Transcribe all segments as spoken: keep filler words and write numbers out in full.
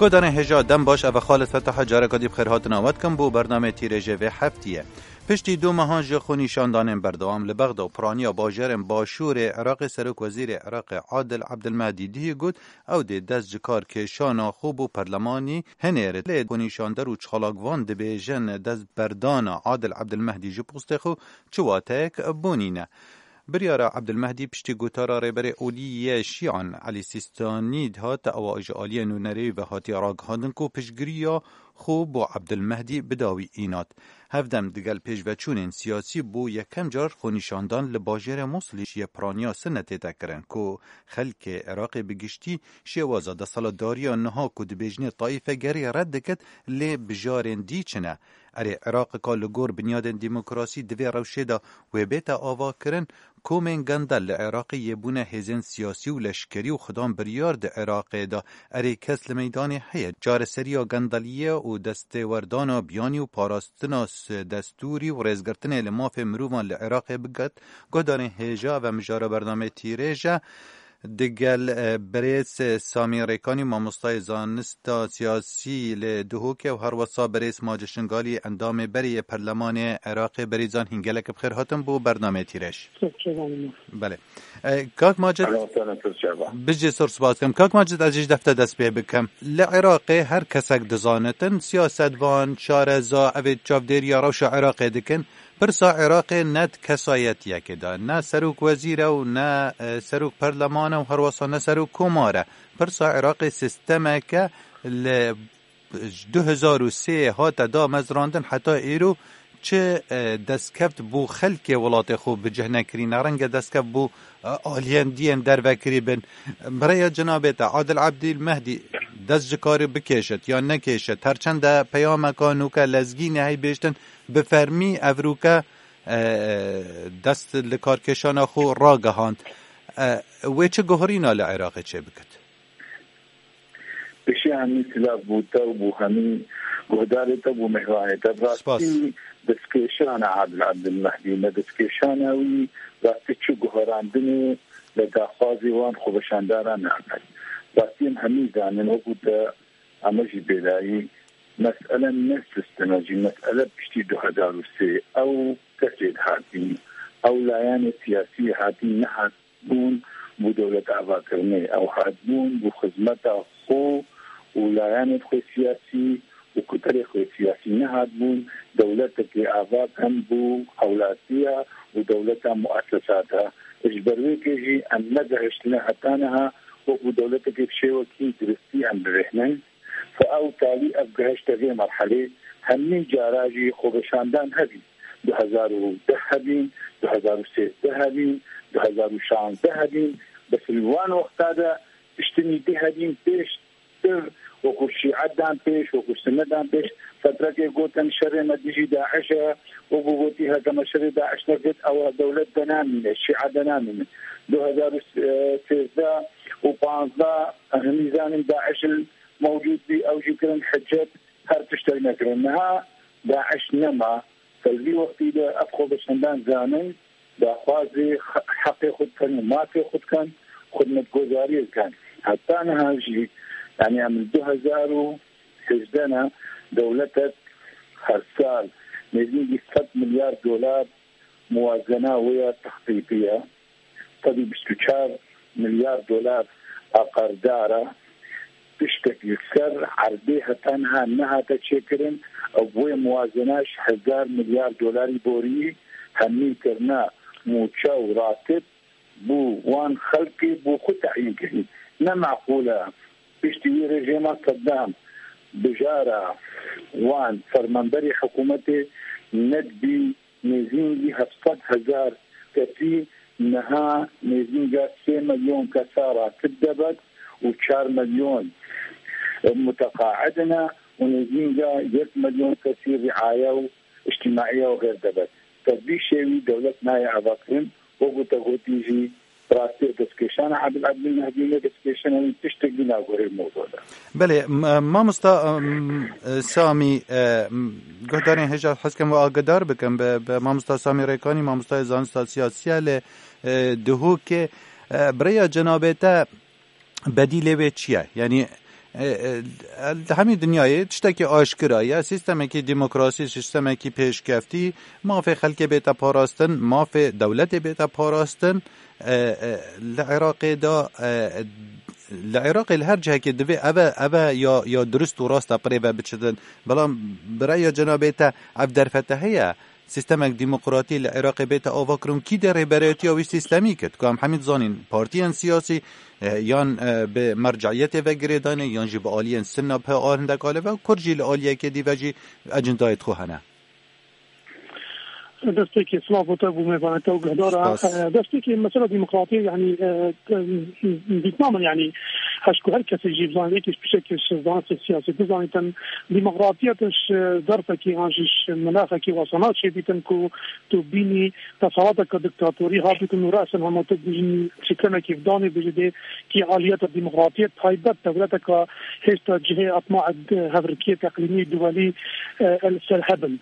Guhdarên hêja dem baş, ev e Xalid Fetah, careka dî bi xêrhatina we dikim bo bernameyê tîrêjê vê heftiyê. Piştî du mehan ji xwenîşandanên berdewam li Bexda û piraniya bajarên başûrê Iraqê, Serokwezîrê Iraqê Adil Abdilmehdi dihî got, ew dê dest ji kar kêşana xwe bo perlemanî hinêrit. Lê xwenîşander û çalakvan dibêjin destberdana Adil Abdilmehdi ji postê xwe çi wateyek bo nîne. Biryara Abdulmehdi piştî gotara Rêberê Olî yê Şîan Elî Sîstanî dihate, ewa ji aliyê nûnerêyî ve hatiye ragihandin ku piştgiriya xwe bo Abdulmehdi bi dawî înat. Hevdem digel pêşveçûnên siyasî bo yekem car xwenîşandan li bajêrê Mûsilî yê piraniya Sinetê tê kirin ku xelkê Iraqê bi giştî şêwaza desthilatdariya niha ku dibêjinê taîfegerî red dikit, lê bijarên dî çi ne? Erê, Iraqeka li gor binyadên demokrasî di vê rewşê de wê bête avakirin. Komên gendel li Iraqê yê bûne hêzên siyasî û leşkerî û xidan biryar di Iraqê de. Erê, kes li meydanê heye. Çareseriya gendeliyê û destêwerdana biyanî û parastina s-, destûrî û rêzgirtinê li mafê mirovan li Iraqê biket. Guhdarên hêja ve mijara bernameyê tîrêj e. Digel, e, birêz, e, Samî Rêkanî, mamostayê zanista siyasî li Duhokê û herwesa birêz Maci Şingalî, endamê berê yê Perlemanê Iraqê, birêzan hîn gelek bi xêr hatin bo bernameyê tîrêj. Belê. E, kak Macid, Ehlen we sehlen, Tirkiye. Bijî sor spas dikim. Kak Macid, ez jî ji defte dest pê bikim. Li Iraqê her kesek dizanitin, siyasetvan, şareza, evê çavdêriya rewşa Iraqê dikin. Pirsa Iraqê ne di kesayetiyekê de, ne serok wezîr e û ne, e, serok perleman e û herwesa ne serok komar e. Pirsa Iraqê sîstemeke li du hezar û sê hate damezrandin heta îro çi, e, destkeft bo xelkê welatê xwe bi cih nekirî, ne renge destkeft bo, e, aliyên diyên dervekirî bin. Bi rêya cenabê te, Adil Abdil Mehdî dest ji karê bikêşit yan nekêşit, her çende peyameka nûke lezgînê hey bêştin, bi fermî evrûke, e, dest li karkêşana xwe ragihand. E, wê çi guherîna li Iraqê çêbikit? Pişî hemî silav bû te û bû hemî guhdarê te, bû mêhvanê te. Bi rastî destkêşana Adil Abdilmehdî, ne destkêşana wî, rastî çi guherandinê li daxwazê wan xweveşandaran nabet. Rastî em hemî zanin, wekû te Ama jî bêlayî mesele ne sîstem e jî, mesele piştî du hezar û sê ew kesê dihatî, ew layanê siyasî hatî nehatbûn bo dewlet avakirinê, ew hatbûn bo xizmeta xwe û layanê xwe siyasî û kutelê xwe siyasî, nehatbûn dewletekê ava kin bo hewlatiya û dewleta muesesata. Ji ber wê kê jî em negehiştine heta niha wekû dewletekê bi şêwekî duristî em bibêhnin. Fe ew talî ev gihişte vê merhelê, hemî cara jî xweveşandan hebî. Du hezar û deh hebîn, du hezar û sêzdeh hebîn, du hezar û şazdeh hebîn, bes li wan wexta de tiştinî dî hebîn pêştir, wekû şîe dan pêş, wekû sine dan pêş. Fetrekê gotin şerê me dijî DAIŞ e, wekû gotî heke me şerê DAIŞ nekir, ew dewlet de namîne, şîe de namîne. Du hezar û sêzdeh û panzdeh, hemî zanin DAIŞ mewcûd bî, ew jî kirin hicet, her tiştek nekirin. Niha DAIŞ nema. Ser vî wextî de ev xweveşandan zanin, daxwazê xe-, heqê xwe dikin û mafê xwe dikin, xidmetgozariyê dikin. Heta niha jî, yanî em li du hezar û hejdeh ne, dewletek her sal nêzîkî sed milyar dolar muwazena wê ya textîtî ye. Sed û bîst û çar milyar dolar a qerdar e. Tiştek li ser erdê heta niha nehate çêkirin. Ew wê muwazena ji hezar milyar dolarî borî hemî kirine mûçe û ratib bo wan xelkê bo xwe teyîn kirî. Ne meqûl e. Piştî wî rejîma Seddam bijara wan fermanberê hikûmetê nedibî nêzîngî heft sed hezar kesî, niha nêzînga sê milyon kesa ratib debet û çar milyon muteqaid ne û nêzînga yek milyon kesî riaye û îctimaiye û xêr debet. Te vî şêwî dewlet nayê avakirin, wekû te gotî jî, rastî destkêşana Adil Abdulmehdi ne destkêşana wî tiştekî nagorê mewzû de. Belê, m-, mamosta, m-, Samî, e, m-, guhdarên hêja hez dikim we agidar bikim bi, bi mamosta Samî Rêkanî, mamostayê zanista siyasî ye li, e, Duhokê. E, bi rêya cenabê te bedîlê wê çi ye? Yanî E, e, li hemî dinyayê tiştekî aşkira ye. Sîstemekî demokrasî, sîstemekî pêşkeftî, mafê xelkê bête parastin, mafê dewletê bête parastin. E, e, li Iraqê de, e, li Iraqê li her cihekê divê eve, eve ya, ya dirust û rast e bi rê ve biçitin. Belam bi reya cenabê te ev derfete heye. Sîstemek demokratî li Iraqê bête avakirin, kî dê rêberayetiya wî sîstemî kir? Ku em hemî dizanîn, partiyên siyasî, e, yan, e, bi merceiyetê ve girêdayî ne, yan jî bi aliyên Sunna bi hindek alî ve, Kurd jî li aliyekê dî ve jî ecindayê xwe hene. Destpêkê silav bo te, bo mêvanê te û guhdara. Spas. E, destpêkê mesela demokratiyê, yanî, e, e, dîtma min, yanî, heşku her kesê jî bizanî, êkî ji pişekê ji zanistê siyasî bizanîtin, demokratiya tu ji derfekî an jî ji minaxekî wesa naçêbîtin ku tu bînî desalateke diktatorî habîtin û resin hema tu bînî sîstemekî vidanî bijî dê kî aliyeta demokratiyê taybet dewleteka hêşta cihê etma hevrikiyê teqlîmî duwelî, e, li ser hebin.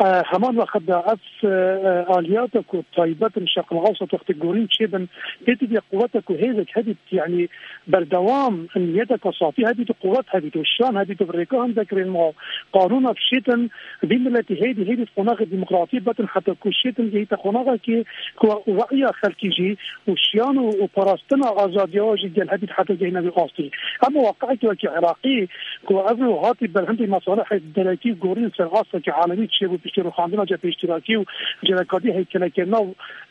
E, heman wextda ev, e, e, aliyata ku taybet in Şerqil Ewsat wextê gorîn çêbin, pê tu dê quweta ku hêzek hebît, yanî berdewam niyeteke safî hebît û quwet hebît û şan hebît û bi rêka hindek rênma qanûna bişêtin, vî miletî hêdî hêdî qonaxê demokratî betin heta ku şêtin gehîte qonaxekê ku we'ya xelkî jî û şiyan û, û parastina azadiya jî gel hebît heta gehîne vî astî. Ema waqi'ekî wekî Iraqî ku ev ro hatî ber hindê mesalihê derekî û gorîn ser astekî alemî çêbû piştî rûxandina cephe îştirakî û cerekatî heykelekirina,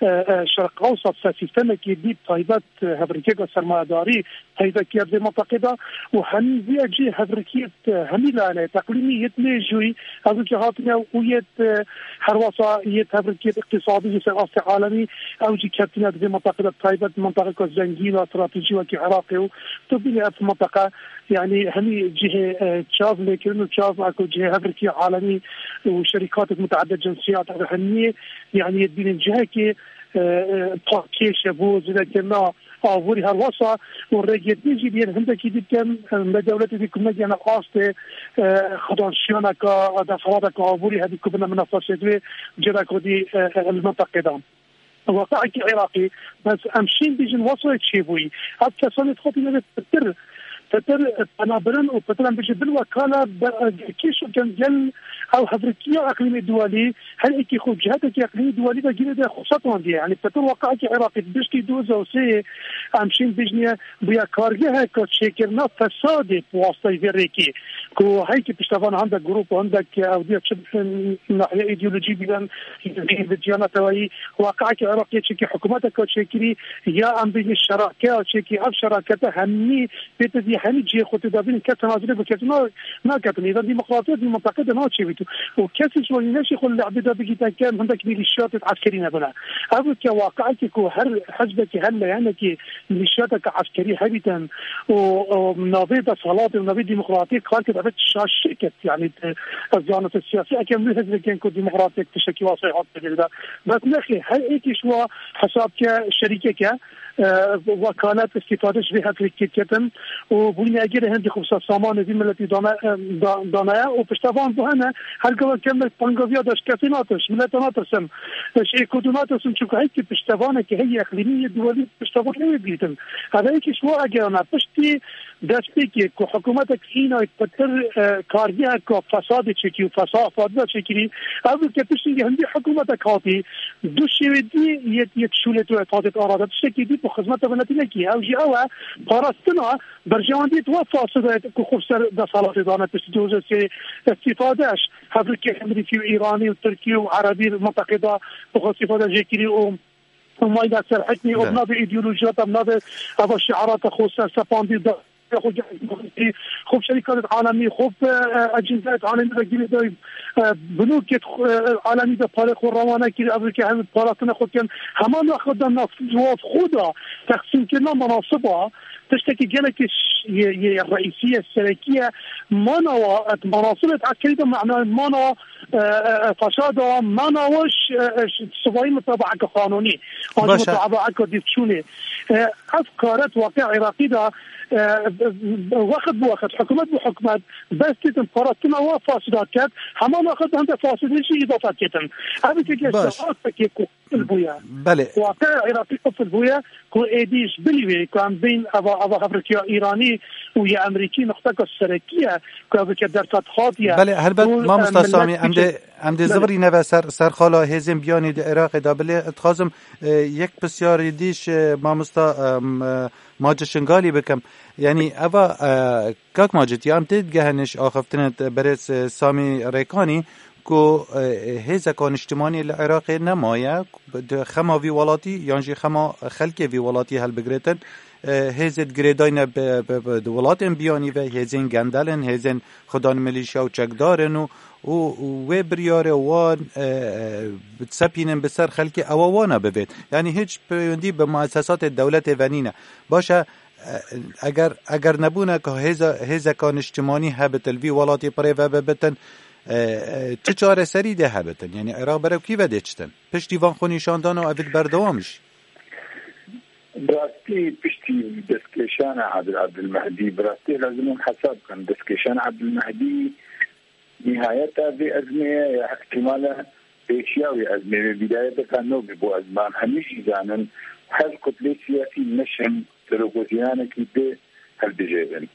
e, e, Şerq Ewsat ser sîstemekî dî taybet, e, hevrikiyeke sermayedarî peyda kiye di vê menteqê de û hemî vî cî hevrikiyê, e, hemî layene teqlîmî yê mêjûyî, ev ki hatine û yê, e, herwasa yê hevrikiyê îqtîsadî jî ser astê alemî, ew jî ketine di vê menteqê de, taybet menteqeke zengîn a stratejî wekî Iraqê û tu bînî ev menteqe, yanî hemî cihê, e, çav lêkirin û çav ku cihê hevrikiyê alemî û şerîkatek muteedde cinsiyat ev hemiyê, yanî yê dibînin cihekê, e, e, pakêş e bo zêdekirina aborî herwasa û rêgirtî jî yên hindekî dî bikin, e, me dewletê dî ku negihîne astê, e, xwedanşiyaneka, desthilateke aborî hebî ku bine minafasê wê cêreka dî, e, e, li menteqê de. Waqi'ekî Iraqî, bes em şîn bîjin wesayê çêbûyî. Ev kesanê dixwetîne vê pitir, pitir penabirin û pitir em bêjin bin wekala be-, kêş û gel, gel ew hevrikiya eqlîmê duwelî, her êkî xwe cihetekî eqlîmî duwelî de girê de xwe setwandiye. Yanî pitir waqi'ekî Iraqî di piştî du hezar û sê em şîn bêjniye bûye kargeheka çêkirina fesadê bi wastayê vê rêkê. Ku heyki piştevan hindek grûp û hindek ew diya çi nahiye îdeolojî bînin, bi ciyana tewayî, waqi'ekî Iraqê çekî hikûmeteke çêkirî, ya em bêjin şerakeya çekî, ev şerakete hemî pê te dî hemî cihê xwe tê de bînin, kes tenazulê bi kes na-, naketin. Êdan demokrasiya di menteqê de naçêbît. Û kesî ji wanî neşî xwe li lehbê de bigîte ke hindek mîlîşiyatê eskerî nebine. Ev ke waqi'ekî ku her hizbekî, her leyenekî mîlîşiyateke eskerî hebîtin û, û navê desthilatê û navê demokratiyê kar kir, ev şaşê ket, yanî, e, zanistê siyasî, ekem wî hizbekên ku demokratiyek tiştekî wasayê hat pêdê de. Bes nexê, her êkî ji wa hesab ke şerîkeke, e, wekalet, îstîfade ji vê hevrekî ketin û bûyîne egerê hindî xwe samanê vî miletî dane, e, da-, danaye û piştevan bi hene, her gava kemek pangaviya de ji kesê natirsin, ji mileta natirsin, e, ji êkûdû natirsin, çunku heyki piştevanekî heyî eqlîmî yê duwelî piştevanê wê bîtin. Ev heyki ji wa egerana piştî destpêkê ku hikûmetek îna pitir, e, kargeheka fesadê çêkî û fesa-, fasada çêkirî, ev ke piştî hindî hikûmetek hatî, du şêwê dî yê, yê şûlê tu hatê arada, tiştekî dî bi xizmeta miletî nekî. Ew jî ew e, parastina berjewendiyê tu wa fasada ku xwe ser desthilatê dane piştî du hezar sê îstîfade ji hevrikê Amerîkî û Îranî û Tirkî û Erebî menteqê de bi xwe îstîfade jê kirî û û mayîna ser hikmî û bi navê îdeolojiyata, bi navê eva şiarata xwe sersepandî da, xwe, xwe şerîkatê alemî, xwe, e, ecîndayê alemî de girê da, e, binokê, e, alemî de parê xwe rewane kir, ev ke hem parastina xwe kin, heman wexta de nav, nav xwe da texsîmkirina menasiba, tiştekî gelekî ş-, yê, yê reîsî ye, serekî ye, mana wa, et menasibê eskerî de mena, mana e, e, e, fasada, mana wa ji, e, e, ji sibayî mutabaeke qanûnî, an jî Baş e. mutabaeke dîvçûnê. E, ev karet waqî Iraqî de, e, wext bi wext, hikûmet bi hikûmet, bes dîtin parastina wa fasida ket, heman wext hinde fasidê jî îdafe ketin. Ev eke Baş. Astekê ku qifil bûye. Belê. Waqiya Iraqî qifil bûye ku êdî ji bilî wê ku em bîn eva, eva hevrikiya Îranî û ya Amerîkî nuqteka serekî ye ku ev ke dersa dihat ye. Belê, helbet, Û, mamosta em, Samî, millet em dê, em dê Belê. zivirîne ve ser, ser xala hêzên biyanî di Iraqê de. Bilê, dixwazim, e, yek pisyarî dîş, e, mamosta, em, e, Macit Şingalî bikim. Yanî, eva, e, kak Macit, ya em tê digehene ji axiftinê berêz, e, Samî Rêkanî, ku, e, hêzeka niştimanî li Iraqê nemaye, di xema vî welatî yan jî xema xelkê vî welatî helbigirêtin. E, hêzê di girêdayî ne bi, bi, bi, di welatên biyanî ve, hêzên gendelin, hêzên xudan milîşya û çekdarin û, û, û wê biryarê wan, e, e, disepînin bi ser xelkê, ewa wana bivêt. Yanî hiç peywendî bi muessesatê dewletê ve nîne. Baş e, e, eger, eger nebûneka hêza, hêzeka niştimanî hebit li vî welatî pirê ve bibitin, e, e, çi çareserî dê hebitin? Yanî Iraq berew kî ve dê çitin? Piştî van xwenîşandana ev ê berdewam jî. Bi rastî piştî destkêşana Adil Abdulmehdî, bi rastî lazim em hesab bikin. Destkêşana Abdulmehdî nihayeta vê ezmê ye ya ihtimala pêşiya wê ezmê, wê bîdayeteka nû bî bo ezman. Hemî jî zanin, her kutlê siyasî neşin serokwezîranekî dê hilbijêrin.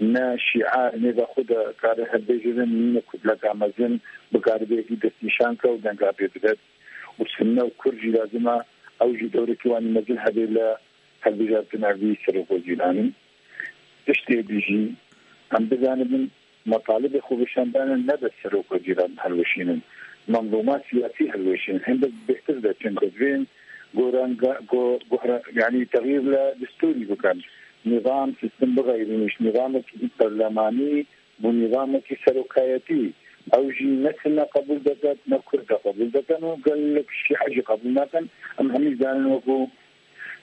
Ne şîa nêva xwe de kare hilbijêrin, ne kutleka mezin bikare bê yekî destnîşan ke û denga pê bidet. Û Sunne û Kurd jî lazim e ew jî dewrekî wan mezin hebe li hilbijartina vî serokwezîranî. Tiştê dî jî em bizanibin, metalibê xweveşandane ne bes serokwezîran hilweşînin, menzûma siyasî hilweşînin. Hindek bêhtir de çin ku divên goranga-, go-, gohra-, yanî texyîr li destûrî bikin. Nîzam, sîstem bixeyrînin ji nîzamekî berlemanî bo nîzamekî serokayetî. Ew jî ne Sunne qebûl diket, ne Kurd qebûl dikin û gelek Şîe jî qebûl nakin. Em hemî zanin wekû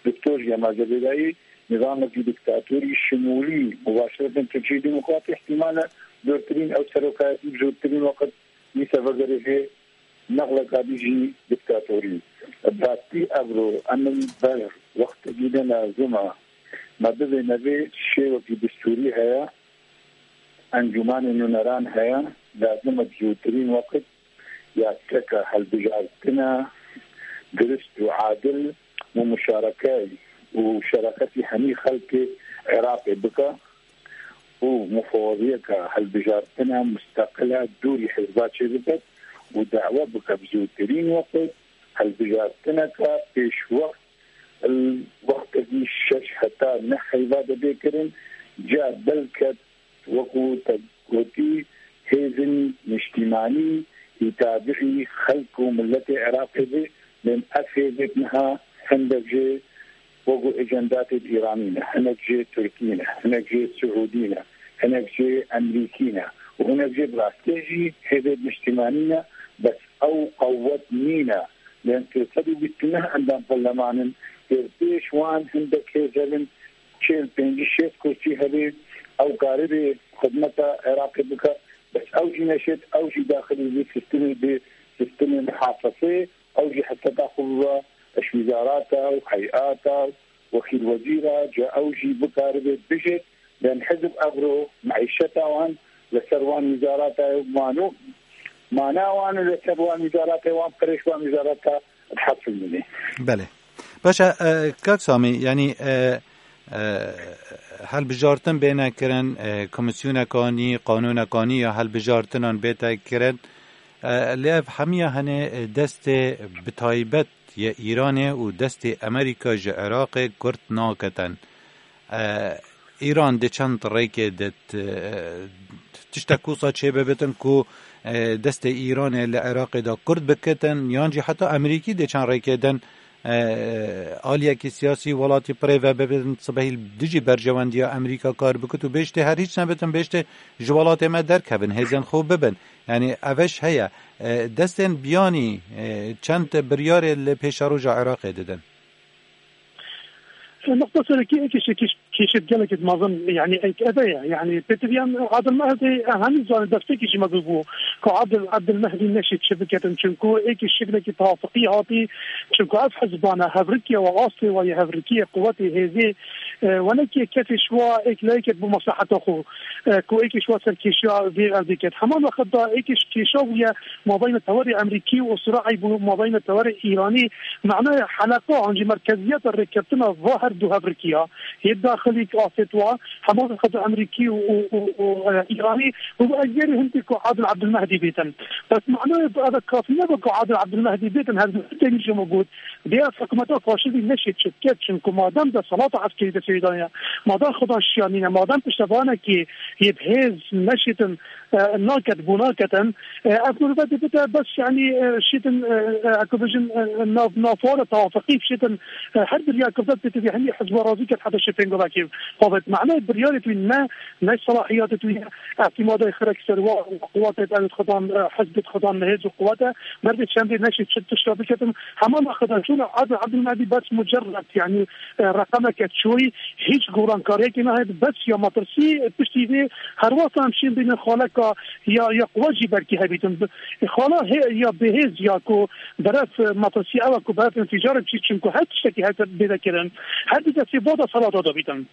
Doktor Cemal Zebêdayî, nîzamekî diktatorî şimûlî, mubaşiretên Tirkiyê Demokratî, ihtimal e zortirîn ew serokayetî bi zortirîn weqt dîse vegerê vê nexleka dî jî diktatorî. Bi rastî evro em li ber wextekî de lazim e me bivêne vê şêwekî destûrî heye, encûmanê nûneran heye, lazim e bi zûtirîn weqt yaseka hilbijartina dirust û adil û muşarekey û şereqetî hemî xelkê Iraqê bike û mufaweziyeka hilbijartina musteqila dûrî hizba çêbiket û dawe bike bi zûtirîn weqt hilbijartineka pêşwext li wextekî şeş heta neh heyva de bê kirin, ca belke wekû te gotî, hêzên niştîmanî yî tabiî xelk û miletê Iraqê be, lê ev hêzêk niha hindek jê wekû ejendatê Îranî ne, hinek jê Tirkî ne, hinek jê Siûdî ne, hinek jê Emerîkî ne û hinek jê bi rastî jî hêzên niştîmanî ne, bes ew qewet nîne. Lê sê sed û bîst û neh endam perleman in, pêş wan hindek hêz hebin, çil, pêncî, şêst kursî hebe, ew karibê xidmeta Iraqê bike, bes ew jî neşêt, ew jî daxilî vê sîstemê bê, sîstemê muhafazê, ew jî heseta xwe bibe ji wizarata û heyata û wekîl wezîra, ca ew jî bikaribe bijêt, yan hizb evro meîşeta wan li ser wan wizarata wan û mana wan û li ser wan wizarata wan, perê ji wan wizarata dihesilîne. Belê. Baş e, e, kak Samî, yanî, e, e, hilbijartin bêne kirin, e, komîsyoneka nî, qanûneka nî ya hilbijartinan bête kirin. E, lê ev hemiya hene, e, destê bi taybet yê Îranê û destê Amerîka ji Iraqê kurt naketin. E, Îran di çend rêkê de t-, e, tiştek wisa çê bibitin ku, e, destê Îranê li Iraqê de kurt bikitin, yan jî heta Amerîkî di çend rêkê din, e, aliyekî siyasî welatî pirê ve bibitin, sibehî dijî berjewendiya Amerîka kar bikit û bêjtê her hîç nebitin, bêjtê ji welatê me derkevin, hêzên xwe bibin. Yanî ev iş heye. E, destên biyanî, e, çend biryarê li pêşeroja Iraqê didin? Nuqta serekî êkê şekîş kêşet gelekê mezin, yanî êk eve ye. Yanî pêtivî em Adil Mehdî, em hemî zanin destekî ji me bûbû ku Adil, Abdul Mehdî neşê çi biketin. Çunku êkê şeklekî tewafiqî hatî. Çunku ev hizbane hevrikiye we astê we yê hevrikiye quwetê hêzê E, wenekê kesê şiwa êk layê ket bo mesleheta xwe, e, ku êkê şiwa ser kêşiya vê erdê ket. Heman wextda êkê kêşa bûye mabeyna tewerê Emerîkî û siraî bû mabeyna tewerê Îranî. Manaya heleqa an jî merkeziyeta rêkeftina va her du hevrikiya yê daxilî ki afêt wa, heman wextda Emerîkî û, û, û, û, e, Îranî û ez gerî hindî ku Adil Abdulmehdi bêtin. Bes manaya eve kafî nebe ku Adil Abdulmehdi bêtin, her du têmî ji min got. Dê ev hikûmeta faşîstî neşê çi bike, çimku madem desthilata eskerî destê wê daniye, madem xudan şiya nîne, madem piştevanekî yê bi hêz neşêtin, e, naket, bû naketin, e, ev mirovê dê bide bes, yanî, e, şêtin, e, e, ek bêjin, e, nav, navxwe de tewafiqî bişêtin, e, her bir ya kiftet bêtin, hemî hizba razî ket heta şê pêngavekê. Xwe bi manayê biryarê tu ne, ne selahiyatê tu ye, îtimadê xirek ser wa, quwetê ew xudan, e, hizbê xudan, hêz û quwete, Merdê çendê neşê çi tişta biketin. Hema me xwe de çûna Adil Abdulmehdi bes mucerred, yanî, e, reqemeke çûyî, hîç gorankariyekê nahêt, bes ya metirsî piştî vê herwasa em şên bînin xaleka ya, ya quwet jî belkî hebîtin. Bi-, xala hê-, ya bêhêz ya ku beref, e, metirsî ew e ku beref înfîcar biçî, çimku her tiştekî her bêde kirin. Her du destê va desthilata de bîtin.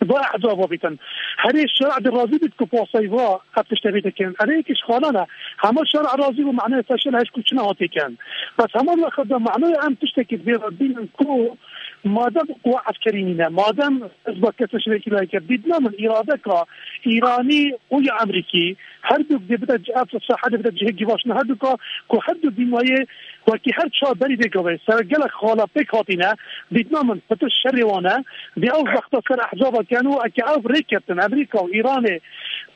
Va ehzaba bîtin. Herê şer'a de razî bît ku pasayî va ev tişte bê dikin. Erê yekî ji xalan e. Hema şer'a razî bû, manaya feşel heş ku çi nehatê ken. Bes heman wextda manaya em tiştekî vê re bînin ku madem quwa eskerî nîne, madem hizba kesê şirêkî layeke, dîtina min îradeka Îranî û ya Emerîkî, her du dê bide, ev sahedê bide cihê givaştina her du ka, ku her du dîmayê wekî her çar berî vê gavê ser gelek xala pêk hatîne, dîtina min pitir şerê wan e. Dê ew zexta ser ehzaba ken û eke ev rê ketin Emerîka û Îranê,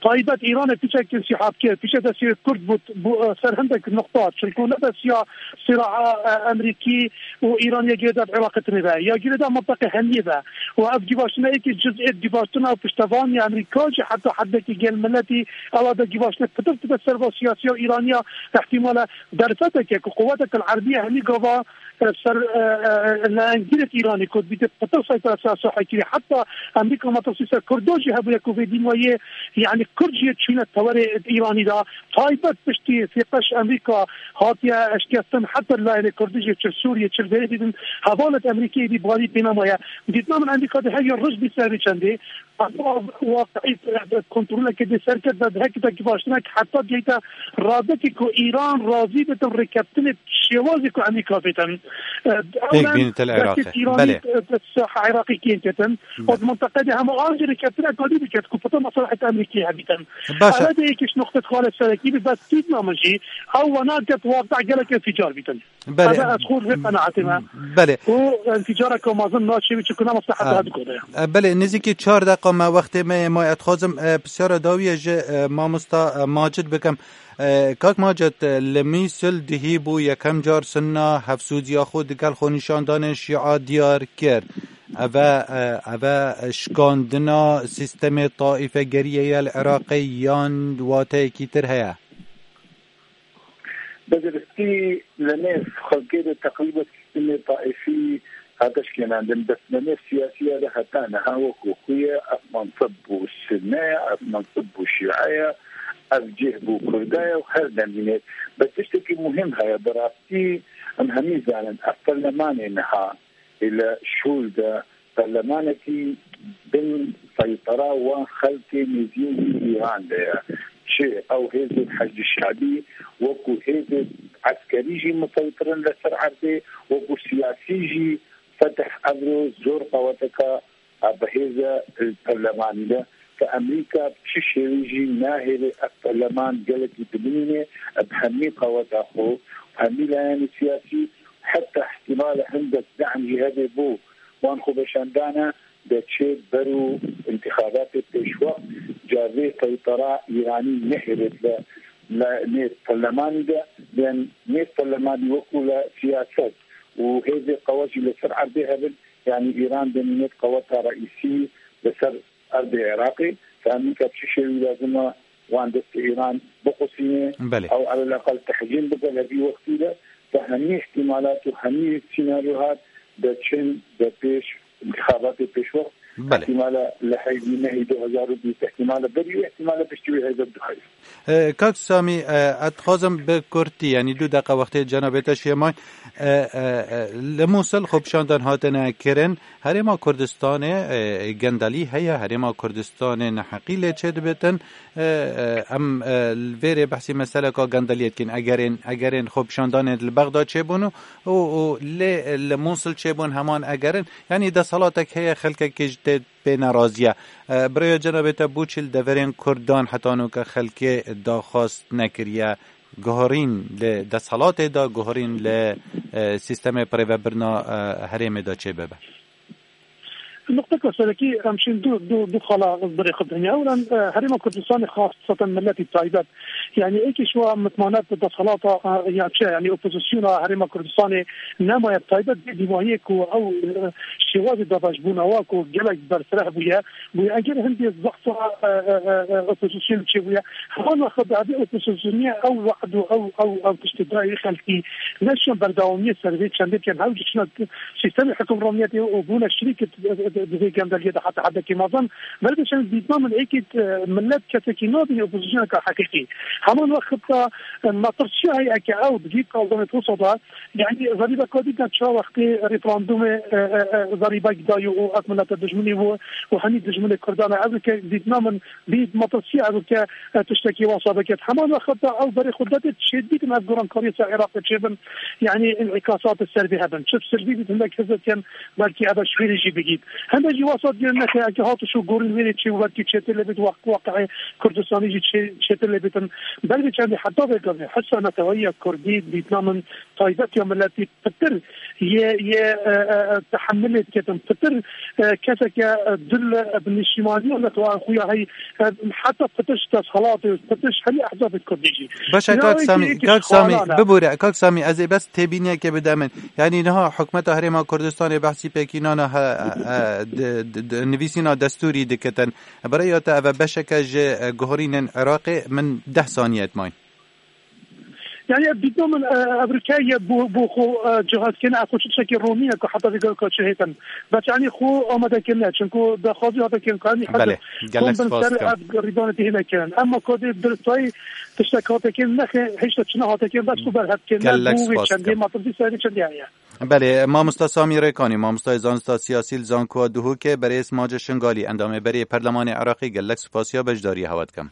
taybet Îranê pîçek însiha bike, pîçe destê Kurd bû, bû, e, ser hindek nuqta, çunku ne bes ya sîraa, e, Emerîkî û Îran ya girêda Iraqê tinê be, ya girêda minteqê hemiyê be. Û ev givaştina êkî ciz'ê givaştina piştevan ya Emerîka jî heta heddekî gel miletî, ewa de givaştina pitir tibe ser va siyasiya û Îraniya, ihtimale derfeteke ku quweteke Erebiya hemî gava, e, ser, e, e, lehengirêt Îranî ku dibîte pitir seytara ser sahekirî. Heta Emerîka metirsî ser Kurdo jî hebûye ku vê dîn wayê, yanî Kurd jî çûne tewerê Îranî de. Taybet piştî sêqeş Emerîka hatiye eşkestin, heta layinê Kurdî jî çi Sûriye, çi vê dîtin, hevalêt Emerîkê êdî balî pê nemaye. Dîtina min Emerîka de her ya roj bî ser vê çendê. Ev waqiî kontroleke dê serket ve heke de givaştinek heta diyeyte radekî ku Îran razî bitin rêkeftinê şêwazê ku Emerîka vêtin. Ew Pêk bîn tel Iraqê. Îranî, Belê. e, saha Iraqê kên ketin. Belê. Û di mintaqe de hema an jî rêkeftinek kadî biket ku pita meslehet Emerîkê hebîtin. Baş e. Eve de yekî ji nuqtet xalê serekî bi bes tîdna min jî ew wena ket waqta gelek înficar bîtin. Belê. Eve ez xwe vê qenaetê me. Belê. Û înficareke mezin naçê wî çikuna meslehet Ha. her du kode. E, belê, nêzîkî çar deqa me wextê me ye, ma ez dixwazim, e, pisyara dawiyê ji, e, mamosta, e, Macid bikim. E, kak Macid, e, li Mîsil dihî bû yekem car Sunna hevsûziya xwe digel xwenîşandanên Şîa diyar kir. Eve, e, eve şikandina sîstemê taîfegeriyê ye li Iraqê yan wateyekî tir heye? Bi diristî li nêv xelkê de teqrîben sîstemê taîfî hate şikênandin, bes li nêv siyasiya de heta niha wekî xwe ye, ev mensib bû Sunne ye, ev mensib bû Şîe ye, ev cih bû Kurda ye û her demîne. Bes tiştekî muhîm heye, bi rastî em hemî zanin, ev perlemanê niha ê li şûl de perlemanekî bin seytera wan xelkê nêzî Îran de ye. Çi ew hêzên Heşdî Şe'bî wekû hêzên eskerî jî miseytir in li ser erdê, wekû siyasî jî Fetih Evro zor qeweteka a bi hêz e li perlemanî de. Ke Emerîka bi çi şêwî jî nahêle ev perleman gelekî bimîne, bi hemî qeweta xwe, hemî layenê siyasî, heta îhtîmala hindek de'm jî hebe bo wan xweveşandana de çê ber û întixabatê pêşwext, ca vê seytera Îranî nehêlêt li, li nêv perlemanî de, bên nêv perlemanî wekû li siyaset û hêzê qewet jî li ser erdê hebin, yanî Îran demînet qeweta reîsî li ser erdê Iraqê, ke Amerîka bi çi şêwî lazim e wan destê Îran biqusîne, Belê. ew eleleqel tehcîn bike li vî wextî de, bi hemî îhtîmalat û hemî sînaryohat de çin de pêş, întixabatê pêşwext, Belê. îhtîmala li heyvî mehî du hezar û bîst, îhtîmala berî wê, îhtîmala piştî wê heyvek du heyv. E, Kak Samî, e, ez dixwazim bi kurtî, yanî du deqa wextê cenabê te şêmay, E, e, e, li Mûsil xwepişandan hatine kirin. Herêma Kurdistanê, e, gendelî heye, Herêma Kurdistanê neheqî lê çêdibitin. E, e, em, e, li vêrê behsî meseleka gendeliyê dikin. Egerên, egerên xwepişandanê li Bexda çêbûn û, û, û lê li Mûsil çêbûn heman egerin. Yanî desthelatek heye, xelkekê ji tê pê nerazî ye. E, birêya cenabê te bû çi li deverên Kurdan heta nûke xelkê daxwaz nekiriye? Guherîn li desthilatê de, guherîn li, e, sîstemê birêvebirina, e, herêmê de çêbibe? Nuqteka serekî, em şîn du, du, du xala birê xwe dinê. Ewlen, e, Herêma Kurdistanê, xaseten miletî taybet. Yanî êkî şiwa mitmanet bi desthilata, e, ya çi, yanî opozisyona Herêma Kurdistanê nemaye, taybet vê dîvahiyê ku ew, e, şêwazê dabeşbûna wa ku gelek berfireh bûye, bûye. Eger hindê zexfa, e, e, e, e, opozîsyon çêbûye, heman wext bi evê opozîsyonê ew we'd û ew, ew, ew tiştê dayê xelkî, ne şan berdewamiyê ser vê çendê ken hew ji çina sîstemê hukimraniyetê û bûne şirîk di, di, di vê gendeliyê de heta hedekî mezin. Ber bi çend dîtna min êkî, e, millet kesekî nabîne opozisyoneka heqîqî. Heman wext de, e, metirsîya heye ke ew digî kaldemê wisa de, yanî zerîbeka dî de çawa wextê referandumê, e, e, e, zerîbek dayî û ev milete dijminî bû û hemî dijminê Kurdan e. Ev ke dîtna min bî metirsî ev ke, e, tiştekî wasa biket. Heman wexta ew berê xwe dede çêdibîtin ev gorankariyê ser Iraqê çêbin. Yanî înîkasatê ser vê hebin. Çi bi silvî bît, hindek hizb ken belkî ev şwêrê jî bigît. Hindek jî wasa dikin nexê, eke hat û şû gorîn wêrê çê û belkî çêtir lê bît, weq-, weqeyê Kurdistanî jî çê-, çêtir lê bîtin. Belkî çendî heta vê gavê hisa neteweyiya Kurdî dîtna min taybet ya miletî pitir yê, yê, e, e, e, tehemilê diketin, pitir, e, keseke, e, dil, e, bi nişîmaniya neteweyên xwe ya hey, e, heta pitir ji desthilatê, pitir ji hemî ehzabê Kurdî jî. Baş e, kak Samî, kak Samî, bibûre, kak Samî, ez ê bes têbîniyekê bide min. Yanî niha hikûmeta Herêma Kurdistanê behsî pêkînana he, e, e, di, di, di, nivîsîna destûrî dikitin. Bi rêya te ev e beşeke ji, e, guherînên Iraqê, min deh saniye dimayîn. Yani, dîtna min, e, ev rike ye bo, bo xwe, e, cihazkirine, ev xwe çi tiştekî ronî ye ku heta vê gavê ka çi hêtin. Bes, yani, xwe amade kirine, çunku daxwazî hate kirin, ku, yani, Belê, heta gelek kom bin spas ser dikim. Ev rîdanê tê hêne kirin. Emma ku dê diristayî tiştek hate kirin, nexê, hêşta çi nehate kirin, bes xwe berhev kirine, Gelek bo wê spas çendê dikim. Metirsî serê çendê heye. Belê, mamosta Samî Rêkanî, mamostayê zanista siyasî li Zankoa Duhokê, berêz Mace Şingalî, endamê berê Perlemanê Iraqê, gelek spasiya beşdariyê hewa dikim.